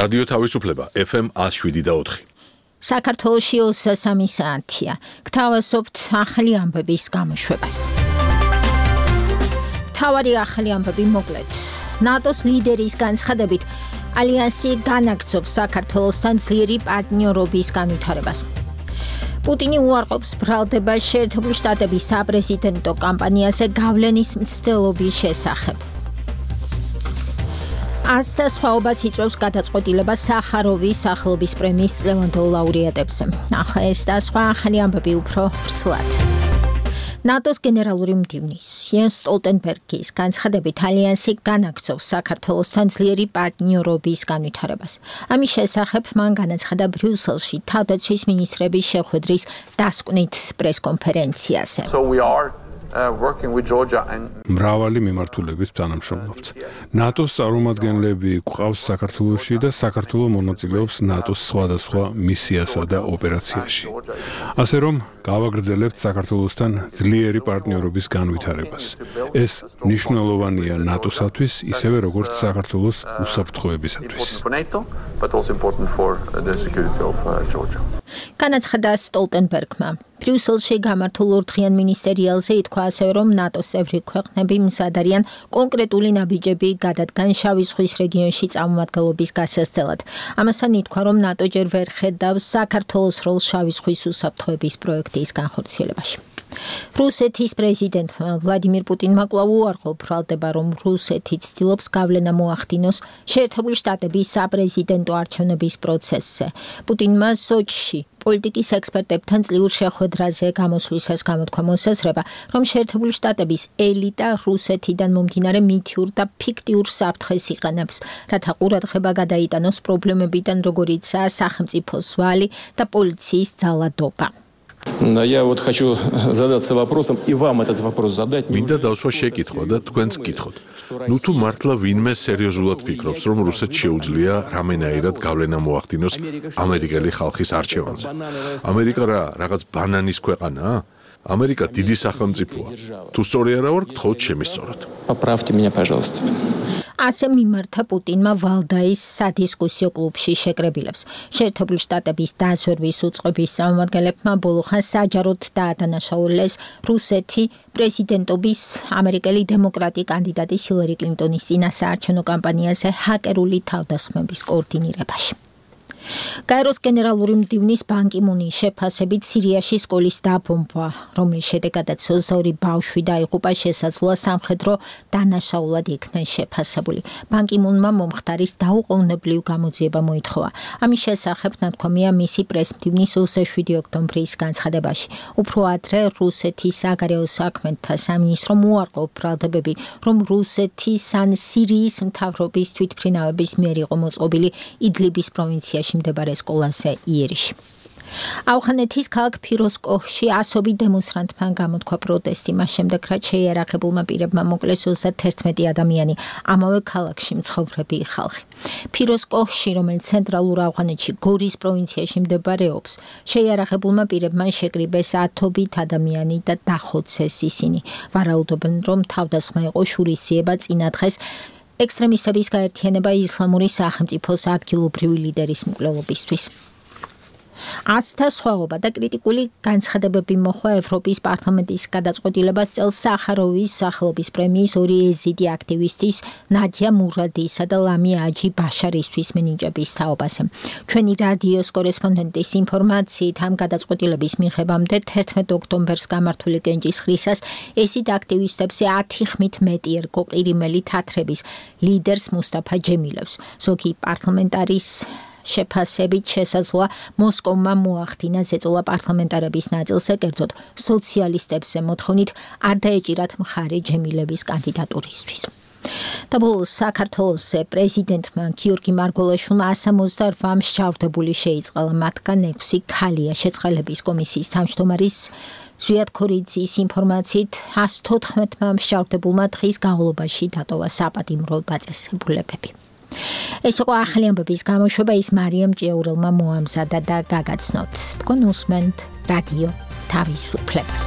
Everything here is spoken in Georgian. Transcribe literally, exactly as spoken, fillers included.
რადიო თავისუფლება ეფ ემ one oh seven და four. საქართველოში ოცდასამი საათია. გთავაზობთ ახალი ამბების გამოშვებას. თავარი ახალი ამბები მოკლედ. ნატოს ლიდერის განცხადებით ალიანსი განაგრძობს საქართველოსთან ძლიერი პარტნიორობის განვითარებას. პუტინი უარყოფს ბრალდებას შეერთებული შტატების საპრეზიდენტო კამპანიაზე გავლენის მცდელობის შესახებ. ასთა სხვაობას იწვევს გადაწყვეტილება სახაროვის სახელობის პრემიის წლევანდელ ლაურეატებზე. ახლა ეს და სხვა ახალი ამბები უფრო ვრცლად. ნატოს გენერალური მდივნის იენს სტოლტენბერგის განცხადებით ალიანსი განაგრძობს საქართველოსთან ძლიერი პარტნიორობის განვითარებას. ამის შესახებ მან განაცხადა ბრიუსელში თავდაცვის მინისტრების შეხვედრის დასკვნით პრესკონფერენციაზე. So we are Uh, working with Georgia and მრავალი მიმართულებით თანამშრომლობთ. ნატოს წარმომადგენლები გვყავს საქართველოში და საქართველო მონაწილეობს ნატოს სხვადასხვა მისიასა და ოპერაციაში. ასე რომ გავაგრძელებთ საქართველოსთან ძლიერი პარტნიორობის განვითარებას. ეს მნიშვნელოვანია ნატოსათვის, ისევე როგორც საქართველოს უსაფრთხოებისათვის. განაცხადა სტოლტენბერგმა. ბრიუსელში გამართულ ორდღიან მინისტერიალზე ითქვა ასევე, რომ ნატოს წევრი ქვეყნები მზად არიან კონკრეტული ნაბიჯები გადადგან შავი ზღვის რეგიონში წარმომადგენლობის გასაცდელად. ამასთან ითქვა, რომ ნატო ჯერ ვერ ხედავს საქართველოს როლს შავი ზღვის უსაფრთხოების პროექტის განხორციელებაში. რუსეთის პრეზიდენტმა ვლადიმირ პუტინმა კვლავ უარყო ბრალდება, რომ რუსეთი ცდილობს გავლენა მოახდინოს შეერთებული შტატების საპრეზიდენტო არჩევნების პროცესზე. პუტინმა სოჩში პოლიტიკის ექსპერტებთან წლიურ შეხვედრაზე გამოსვლისას გამოთქვა მოსაზრება, რომ შეერთებული შტატების ელიტა რუსეთიდან მომდინარე მითიურ და ფიქტიურ საფრთხეს იყენებს, რათა ყურადღება გადაიტანოს პრობლემებიდან, როგორიცაა სახელმწიფოს ვალი და პოლიციის ძალადობა. Я вот хочу задаться вопросом и вам этот вопрос задать. მინდა დავსვა შეკითხვა და თქვენც გითხოთ. ნუ თუ მართლა ვინმე სერიოზულად ფიქრობს, რომ რუსეთს შეუძლია რამენაირად გავლენა მოახდინოს ამერიკელი ხალხის არჩევანზე. ამერიკა რა, რაღაც ბანანის ქვეყანაა? ამერიკა დიდი სახელმწიფოა. თუ სწორი არა ვარ, გთხოვთ შემისწოროთ. Поправьте меня, пожалуйста. ასე მიმართა პუტინმა ვალდაის სადისკუსიო კლუბში შეკრებილებს. შეერთებული შტატების დაზვერვის უწყების წარმომადგენლებმა ბოლოხან საჯაროდ დაადანაშაულეს რუსეთი პრეზიდენტობის ამერიკელი დემოკრატი კანდიდატის ჰილარი კლინტონის წინასაარჩევნო კამპანიაზე ჰაკერული თავდასხმების კოორდინირებაში. გაეროს გენერალური მდივნის ბან კი მუნის შეფასებით სირიაში სკოლის დაბომბვა, რომლის შედეგადაც ოცდაორი ბავშვი დაიღუპა, შესაძლოა სამხედრო დანაშაულად იქნა შეფასებული. ბან კი მუნმა მომხდარის დაუყოვნებლივ გამოძიება მოითხოვა. ამის შესახებ ნათქვამია მისი პრეს-მდივნის ოცდაშვიდი ოქტომბრის განცხადებაში. უფრო ადრე რუსეთის საგარეო საქმეთა სამინისტრომ უარყო ბრალდებები, რომ რუსეთის ან სირიის მთავრობის თვითმფრინავების მიერ იყო მოწყობილი იდლიბის პროვინციაში მდებარე სკოლაზე იერიში. ავღანეთის ქალაქ ფიროზკოჰში ასობით დემონსტრანტმა გამოთქვა პროტესტი, მას შემდეგ რაც შეიარაღებულმა პირებმა მოკლეს ოცდაერთმეტი ადამიანი, ამავე ქალაქში მცხოვრები ხალხი. ფიროზკოჰში, რომელიც ცენტრალურ ავღანეთში გორის პროვინციაში მდებარეობს, შეიარაღებულმა პირებმა შეკრიბეს ათობით ადამიანი და დახოცეს ისინი. ვარაუდობენ, რომ თავდასხმა იყო შურისძიება წინა დღეს ექსტრემისტების გაერთიანება ისლამური სახელმწიფოს ადგილობრივი ლიდერის მკვლელობისთვის. ასთა სხვაობა და კრიტიკული განცხადებები მოჰყვა ევროპის პარლამენტის გადაწყვეტილებას წელს სახაროვის სახელობის პრემიის ორი ეზიდი აქტივისტის ნადია მურადისა და ლამია აჯი ბაშარისთვის მინიჭების თაობაზე. ჩვენი რადიოს კორესპონდენტის ინფორმაციით ამ გადაწყვეტილების მიღებამდე თერთმეტ ოქტომბერს გამართული კენჭისყრისას ეზიდ აქტივისტებზე ათი ხმით მეტი ერგო ყირიმელი თათრების ლიდერს მუსტაფა ჯემილევს. ზოგი პარლამენტარის შეფასებით შესაძლოა მოსკოვმა მოახდინა ზეწოლა პარლამენტარების ნაწილზე, კერძოდ სოციალისტებზე მოთხოვნით არ დაეჭირათ მხარე ჯემილევის კანდიდატურისთვის. და ბოლოს საქართველოს პრეზიდენტმა გიორგი მარგველაშვილმა სამოცდაოთხ მსჯავრდებული შეიწყალა, მათგან ექვსი ქალია. შეწყალების კომისიის თავმჯდომარის ზვიად ქორიძის ინფორმაციით ას თოთხმეტმა მსჯავრდებულმა დღის განმავლობაში დატოვა საპატიმრო დაწესებულებები. ეს იყო ახალი ამბების გამოშვება, ის მარიამ ჭიაურელმა მოამზადა და გაგაცნოთ. თქვენ უსმენთ რადიო თავისუფლებას.